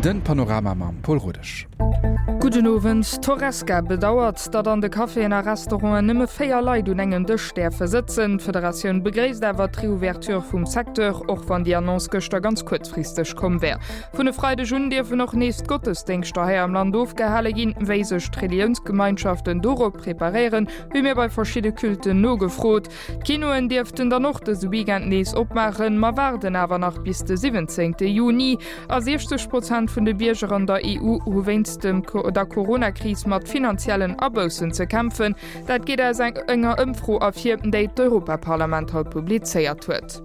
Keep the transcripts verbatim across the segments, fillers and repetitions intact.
Den Panorama mam Paul Rodesch. Gudden Owend. D'Horesca bedauert, datt an de Caféen a Restauranten nëmme véier Leit un engem Dësch däerfe sëtzen. D'Federatioun begréisst awer d'Reouverture vum Secteur, och wann déi Annonce gëschter ganz kuerzfristeg komm wär. Vun e Freideg un dierfen och nees d'Gottesdéngschter hei am Land ofgehale ginn. Wéi sech d'Reliounsgemeinschaften dorop preparéieren, hu mir bei verschidde Culten nogefrot. D'Kinoen dierften dann och dëse Weekend nees opmaachen, ma waarden awer nach bis de siwwenzéngte Juni. A siechzeg Prozent vun de Bierger an der E U hu wéinst dem der Corona-Kris mat finanziellen Aboussen ze kämpfen. Dat geet aus enger Ëmfro ervir, déi d'Europaparlament haut publizéiert huet.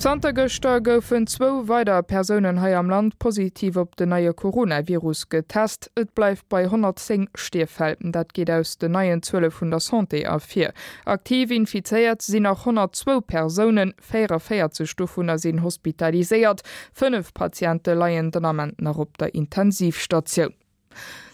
Zanter gëschter goufen zwou weider Persounen hei am Land positiv op den neie Coronavirus getest. Et bleift bei honnertzéng Stierffäll. Dat geet aus den neien Zuele vun der Santé ervir. Aktiv infizéiert sinn nach honnertzwou Persounen, véierundavéierzeg dovunner sinn hospitaliséiert. Fënnef Patiente leien den Ament nach op der Intensivstatioun.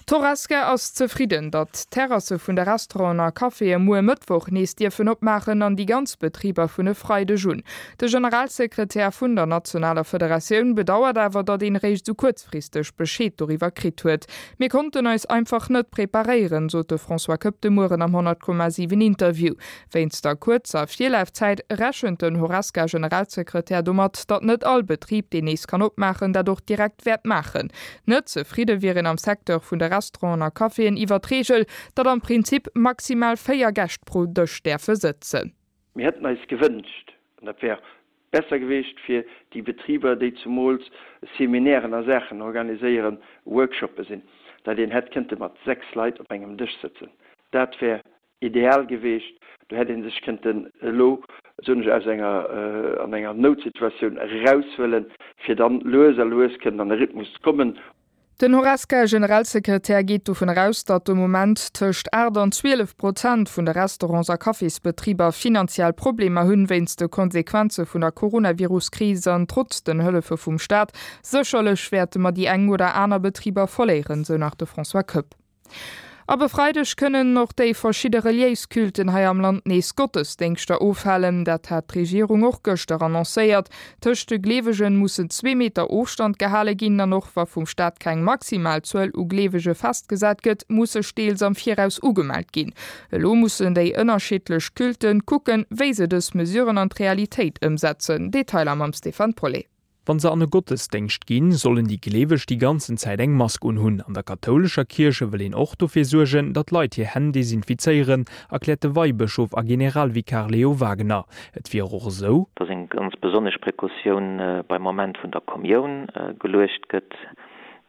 D'Horesca ass zefridden, datt d'Terrasse vun de Restauranten a Caféë muer Mëttwoch nees dierfen opmaachen an déi ganz Betriber vun e Freideg un. De Generalsekretär vun der nationaler Federatioun bedauert awer, datt een eréischt esou kuerzfristeg Bescheed doriwwer kritt huet. Mir konnten eis einfach net preparéieren, sot de François Koepp de Mueren am honnert Komma siwen Interview. Wéinst der kuerzer Virlafzäit rechent den Horesca-Generalsekretär domat, datt net all Betrib, deen nees kann opmaachen, dat och direkt wäert maachen. Net zefridde wier een am Secteur vun de Restauranten a Caféen iwwer d'Reegel, datt am Prinzip maximal véier Gäscht pro Dësch däerfe sëtzen. Mir hätten eis gewënscht, an dat wär besser gewiescht fir déi Betriber, déi zumools Seminären a Saachen organiséieren, Workshoppe sinn, datt een hätt kënnte mat sechs Leit op engem Dësch sëtzen. Dat wär ideal gewiescht. Do hätt ee sech kënnten elo, soen ech, aus enger, an enger Noutsituatioun eraushuelen, fir dann lues a lues kënnen an e Rhythmus ze kommen. Den Horesca-Generalsekretär geet dovun eraus, datt de Moment tëscht aacht an zwielef Prozent vun de Restaurants a Cafésbetriber finanziell Problemer hunn, wéinst de Konsequenze vun der Coronavirus-Kris an trotz den Hëllefe vum Staat. Sécherlech wäerte mer déi eng oder aner Betriber verléieren, sou nach de François Koepp. Ab e Freideg kënnen och déi verschidde reliéis Culten hei am Land nees Gottesdéngschter ofhalen. Dat hat d'Regierung och gëschter annoncéiert. Tëscht de Gleewegen mussen zwee Meter Ofstand gehale ginn an och wa vum Staat keng maximal Zuel u Gleewege festgesat gëtt, muss sech deels am Viraus ugemellt ginn. Elo mussen déi ënnerschiddlech Culten kucken, wéi se dës Mesuren an d'Realitéit ëmsetzen. Detailer mam Stéphane Paulet. Wann se an e Gottesdéngscht ginn, sollen déi Gleeweg déi ganzen Zäit eng Mask unhunn. An der kathoulescher Kierche wëll een och dofir suergen, datt d'Leit hir Hänn desinfizéieren, erkläert de Weibëschof a Generalvikar Leo Wagener. Et wier och esou, datt eng ganz besonnesch Precautioun beim Moment vun der Kommioun geluecht gëtt.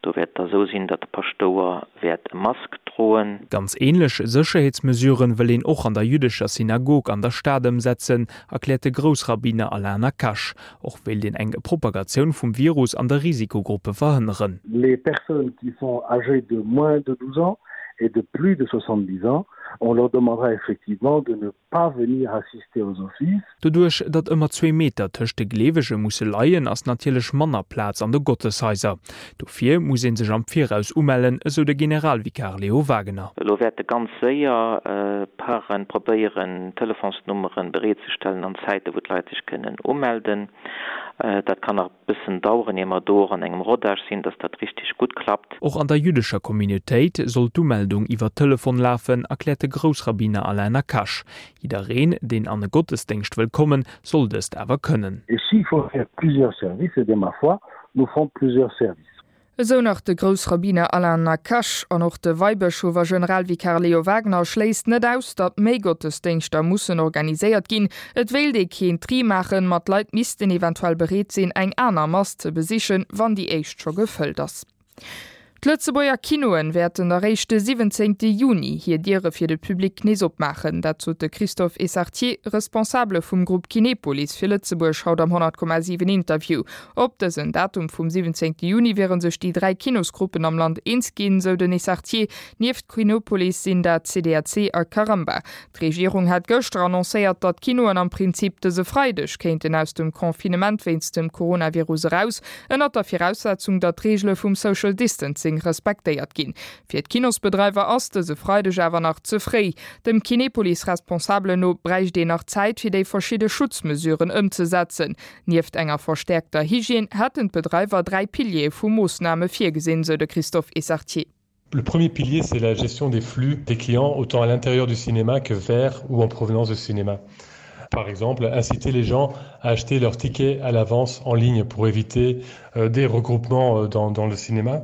Do wäert et da sou sinn, datt de Paschtouer wäert e Mask droen. Ganz änlech Sécherheetsmesuren wëll een och an der jüddescher Synagog an der Stad ëmsetzen, erkläert de Groussrabbiner Alain Nacache. Och wéilt een eng Propagatioun vum Virus an de Risikogruppe verhënneren. Les personnes qui sont âgées de moins de douze ans et de plus de soixante-dix ans, on leur demandera effectivement de ne pas venir assister aux offices. Doduerch, datt ëmmer zwee Meter tëscht de Gleewege musse leien, ass natierlech manner Plaz an de Gotteshaiser. Dofir muss ee sech am Viraus umellen, esou de Generalvikar Leo Wagener. Elo wäerte ganz séier Paren probéieren, Telefonsnummere bereetzestellen an Zäite wou d'Leit sech kënnen umelden. Dat kann nach e bëssen daueren, ier mer do och an engem Rodage sinn, datt dat richteg gutt klappt. Och an der jüddescher Communautéit soll d'Umeldung iwwer Telefon lafen, erkläert de Groussrabbiner Alain Nacache. Jiddereen, deen an e Gottesdéngscht wëll kommen, soll dëst awer kënnen. Et s'il faut faire plusieurs services, eh bien ma foi, nous ferons plusieurs services. Esou nach de Groussrabbiner Alain Nacache. An och de Weibëschof a Generalvikar Leo Wagener schléisst net aus, datt méi Gottesdéngschter mussen organiséiert ginn. Et wéilt ee keen Tri maachen, ma d'Leit missten eventuell bereet sinn, eng aner Mass ze besichen, wann déi éischt scho gefëllt ass. D'Lëtzebuerger Kinoen wäerten eréischt de siwwenzéngte Juni hir Diere fir de Public nees opmaachen. Dat sot de Christophe Essartier, Responsabele vum Grupp Kinepolis fir Lëtzebuerg, haut am honnert Komma siwen Interview. Op dësen Datum vum siwwenzéngte Juni wiere sech déi dräi Kinosgruppen am Land eens ginn, sou den Essartier. Nieft Kinopolis sinn dat C D A C a Caramba. D'Regierung hat gëschter annoncéiert, datt d'Kinoen am Prinzip dëse Freideg kéinten aus dem Confinement wéinst dem Coronavirus eraus, ënnert der Viraussetzung, datt d'Reegele vum Social Distancing Distancing respektéiert ginn. Fir d'Kinosbedreiwer ass dëse Freideg awer nach ze fréi. Dem Kinepolis-Responsabelen no bräicht een nach Zäit fir déi verschidde Schutzmesuren ëmzesetzen. Nieft enger verstäerkter Hygiène hätten d'Bedreiwer dräi Piliere vu Moossname virgesinn, sou de Christophe Essartier. Le premier pilier, c'est la gestion des flux des clients, autant à l'intérieur du cinéma que vers ou en provenance du cinéma. Par exemple, inciter les gens à acheter leurs tickets à l'avance en ligne pour éviter euh, des regroupements euh, dans, dans le cinéma.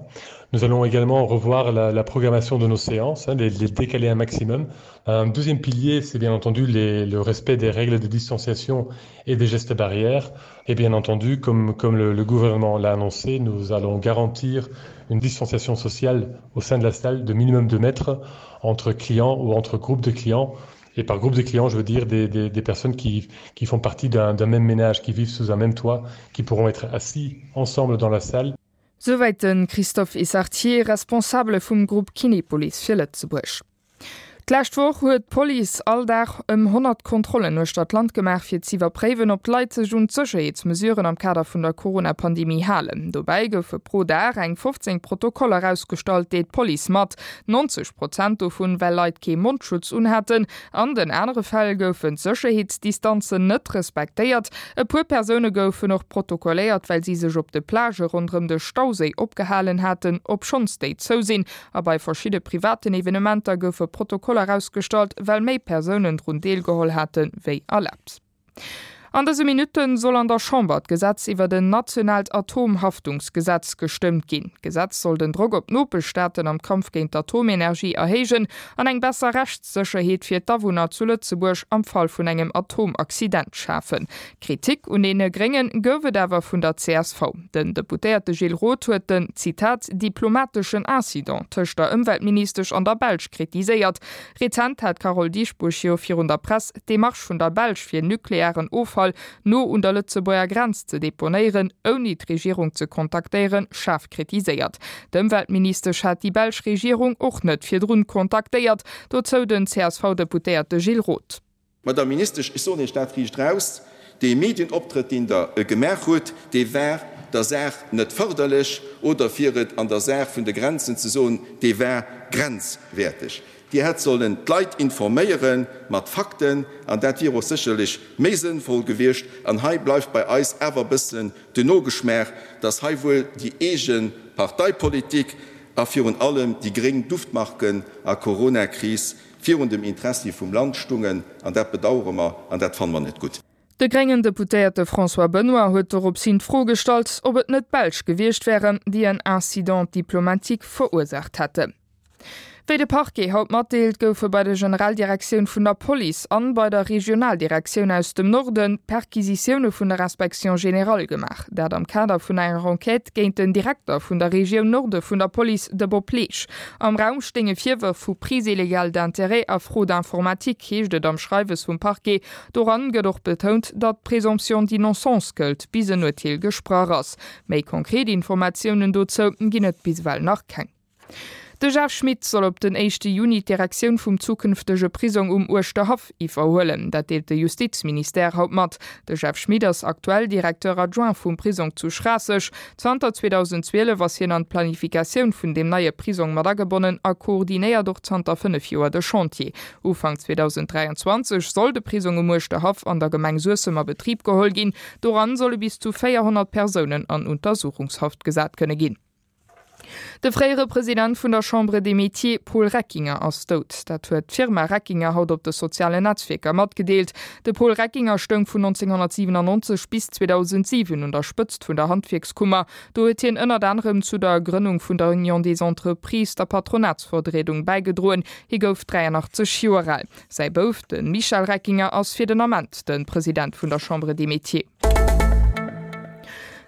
Nous allons également revoir la, la programmation de nos séances, hein, les, les décaler un maximum. Un deuxième pilier, c'est bien entendu les, le respect des règles de distanciation et des gestes barrières. Et bien entendu, comme, comme le, le gouvernement l'a annoncé, nous allons garantir une distanciation sociale au sein de la salle de minimum deux mètres entre clients ou entre groupes de clients. Et par groupe de clients, je veux dire des, des, des personnes qui, qui font partie d'un même ménage, qui vivent sous un même toit, qui pourront être assis ensemble dans la salle. Souwäit de Christophe Essartier, Responsabele vum Grupp Kinepolis fir Lëtzebuerg. D'lescht Woch huet d'Police all Dag ëm honnert Kontrollen uechter d'Land gemaach, fir z'iwwerpréiwen, ob d'Leit sech un d'Sécherheetsmesuren am Kader vun der Corona-Pandemie halen. Dobäi goufe pro Dag eng fofzéng Protokoller ausgestallt, deelt d'Police mat. neunzeg Prozent dovun, well Leit kee Mondschutz unhaten. An den anere Fäll goufen d'Sécherheetsdistanzen net respektéiert. E puer Persoune goufen och protokolléiert, well si sech op de Plagë ronderëm de Stauséi opgehalen haten, obschonns déi zou sinn. A bei verschidde privaten Evenementer goufe Protokoller ausgestallt, well méi Persounen drun deelgeholl hate wéi erlaabt. An dëse Minutte soll an der Chamber d'Gesetz iwwert en nationaalt Atomhaftungsgesetz gestëmmt ginn. D'Gesetz soll den Drock op d'Nopeschstaaten am Kampf géint d'Atomenergie erhéijen an eng besser Rechtssécherheet fir d'Awunner zu Lëtzebuerg am Fall vun engem Atomaccident schafen. Kritik un deene Gréngen gouf et awer vun der C S V. Den Deputéierte Gilles Roth huet den, Zitat, diplomateschen Incident tëscht der Ëmweltministesch an der Belsch kritiséiert. Rezent hat d'Carole Dieschbourg jo virun der Press d'Demarche vun der Belsch fir nuklearen Offall no un der Lëtzebuerger Grenz ze deponéieren, ouni d'Regierung ze kontaktéieren, schaarf kritiséiert. D'Ëmweltministesch hat déi belsch Regierung och net virdrun kontaktéiert, dozou den C S V-Deputéierte Gilles Roth. Madame Ministesch, ech soen Iech dat riicht raus, dee Medienoptrëtt, deen Der gemaach hutt, dee war der Saach net fërderlech, oder fir et an der Saach vun de Grenzen ze soen, dee war grenzwäerteg. Dir hätt sollen d'Leit informéiere mat Fakten, an dat wier och sécherlech méi sënnvoll gewiescht. An hei bleift bei eis awer e bëssen den Nogeschmaach, dass hei wuel déi eege Parteipolitik a virun allem déi gréng Duftmarken a Coronakris virun dem Interessi vum Land stungen. An dat bedauere mer an dat fanne mer net gutt. De gréngen Deputéierte François Benoy huet doropshin d'Fro gestallt, ob et net d'Belsch gewiescht wären, déi en Incident diplomatique verursaacht hätten. Wéi de Parquet haut matdeelt, goufe bei der Generaldirektioun vun der Police an bei der Regionaldirektioun aus dem Norden Perquisitioune vun der Inspection générale gemaach. Dat am Kader vun enger Enquête géint den Direkter vun der Regioun Norde vun der Police, de Bob Leesch. Am Raum stéinge Virwërf vu Prise illégale d'intérêts a Fraude informatique, heescht et am Schreiwes vum Parquet. Doran gëtt och betount, datt d'Présomption d'innocence gëllt, bis en Urteel gesprach ass. Méi konkret Informatiounen dozou ginn et bis ewell nach keng. De Jeff Schmit soll op den éischte Juni d'Direktioun vum zukünftege Prisong um Uerschterhaff iwwerhuelen. Dat deelt de Justizministère haut mat. De Jeff Schmit ass aktuell Directeur adjoint vum Prisong zu Schraasseg. Zanter zweedausendzwielef ass hien an d'Planifikatioun vun deem neie Prisong mat agebonnen a koordinéiert och zanter fënnef Joer de Chantier. Ufank zweedausenddräianzwanzeg soll de Prisong um Uerschterhaff an der Gemeng Suessem a Betrib geholl ginn. Doran solle bis zu véierhonnert Persounen an Untersuchungshaft gesat kënne ginn. De fréiere President vun der Chambre des Métiers Paul Reckinger ass dout. Dat huet d'Firma Reckinger haut op de sozialen Netzwierker matgedeelt. De Paul Reckinger stoung vun neunzehnhundertsiewenundneunzeg bis zweedausentsiwen un der Spëtzt vun der Handwierkskummer. Do huet hien ënnert anerem zu der Grënnung vun der Union des Entreprises, der Patronatsvertriedung, bäigedroen. Hie gouf dräianachtzeg Joer al. Säi Bouf, de Michel Reckinger, ass fir den Ament de President vun der Chambre des Métiers.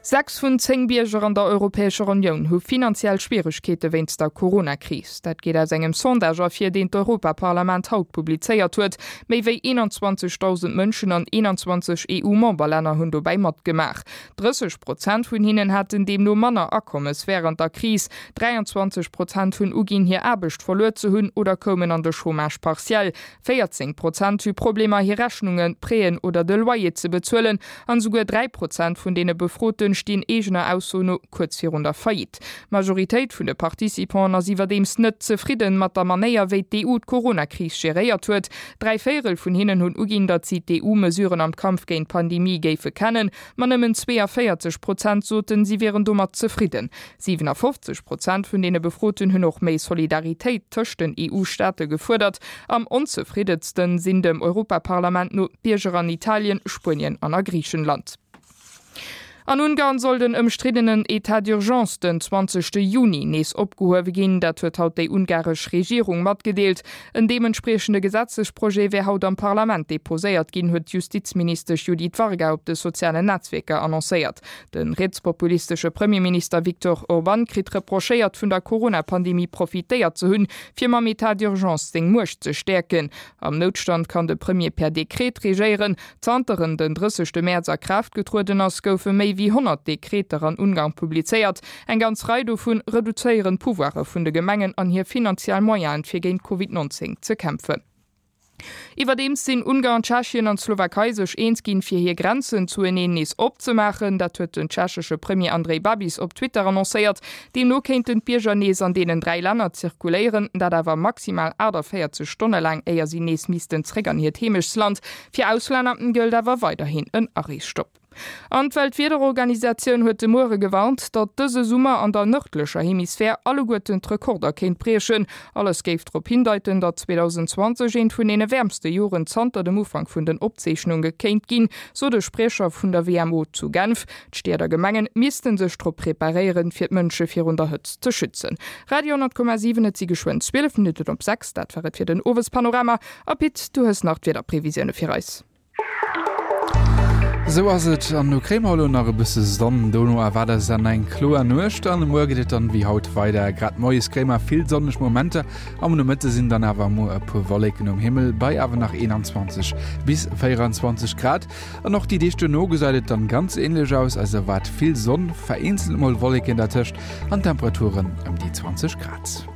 Sechs vun zéng Bierger an der Europäescher Unioun hu finanziell Schwieregkeete wéinst der Corona-Kris. Dat geet aus engem Sondage ervir, deen d'Europaparlament haut publizéiert huet. Méi wéi eenanzwanzegdausend Mënschen an eenanzwanzeg E U-Memberlänner hunn dobäi matgemaach. drësseg Prozent vun hinnen haten deemno manner Akommes wärend der Kris, dräianzwanzeg Prozent hunn uginn, hir Aarbecht verluer ze hunn oder koumen an de Chômage partiel, véierzéng Prozent hu Problemer, hir Rechnungen, Prêten oder de Loyer ze bezuelen an esouguer dräi Prozent vun deene Befroten stinn eegener Ausso no kuerz virun der Faillite. D'Majoritéit vun de Participanten ass iwwerdeems net zefridden mat der Manéier, wéi d'EU d'Coronakris geréiert huet. Dräi Véierel vun hinnen hunn uginn, datt si d'EU-Mesuren am Kampf géint d'Pandemie géife kennen, ma nëmmen zweeënvéierzeg Prozent soten, si wieren domat zefridden. siwenafofzeg Prozent vun deene Befroten hunn och méi Solidaritéit tëscht den EU-Staate gefuerdert. Am onzefriddensten sinn dem Europaparlament no d'Bierger an Italien, Spuenien an a Griichenland. An Ungarn soll den ëmstriddenen Etat d'urgence den zwanzegste Juni nees opgehuewe ginn. Dat huet haut déi ungaresch Regierung matgedeelt. En deementspriechende Gesetzesprojet wär haut am Parlament deposéiert ginn, huet d'Justizministesch Judith Varga op de sozialen Netzwierker annoncéiert. De rietspopulistesche Premierminister Viktor Orban kritt reprochéiert, vun der Corona-Pandemie profitéiert ze hunn, fir mam Etat d'urgence seng Muecht ze stäerken. Am Noutstand kann de Premier per Dekret regéieren. Zanter en den drëssegste Mäerz a Kraaft getrueden ass, goufe méi wéi honnert Dekreter an Ungarn publizéiert. Eng ganz Rei dovun reduzéieren d'Pouvoire vun de Gemengen an hir finanziell Moyenen, fir géint Covid neunzéng ze kämpfen. Iwwerdeems sinn Ungarn, Tschechien an d'Slowakei sech eens ginn, fir hir Grenzen zueneen nees opzemaachen. Dat huet den tschechesche Premier Andrej Babis op Twitter annoncéiert. Deemno kéinten d'Bierger nees an deenen dräi Länner zirkuléieren, dat awer maximal aachtavéierzeg Stonne laang, éier si nees missten zréck an hiert Heemechtsland. Fir Auslänner gëllt awer weiderhin en Areesstopp. An d'Weltwiederorganisatioun huet de Muere gewarnt, datt dëse Summer an der nërdlecher Hemisphär alleguerten d'Rekorder kéint briechen. Alles géif drop hindeiten, datt zweedausendzwanzeg eent vun deene wäermste Joren zanter dem Ufank vun den Opzeechnunge kéint ginn, sot e Spriecher vun der W M O zu Genf. D'Stied a Gemenge misste sech drop preparéieren, fir d'Mënsche virun der Hëtzt ze schützen. Radio honnert Komma siwen Et si geschwënn zwielef Minutten op sechs. Dat war et fir den Owespanorama. A Pit, du hues nach d'Wiederprevisioune fir eis. Esou ass et, an no kréie mer elo nach e bësse Sonn, dono erwaart eis dann eng kloer Nuecht an muer geet et dann wéi haut weider. Grad moies kréie mer vill sonneg Momenter, am Nomëtte sinn dann awer muer e puer Wolleken um Himmel bei awer nach eenanzwanzeg bis véierundzwanzeg Grad. An och déi Deeg duerno gesäit et dann ganz änlech aus, eis erwaart vill Sonn, vereenzelt mol Wolleken dertëscht an Temperaturen ëm déi zwanzeg Grad.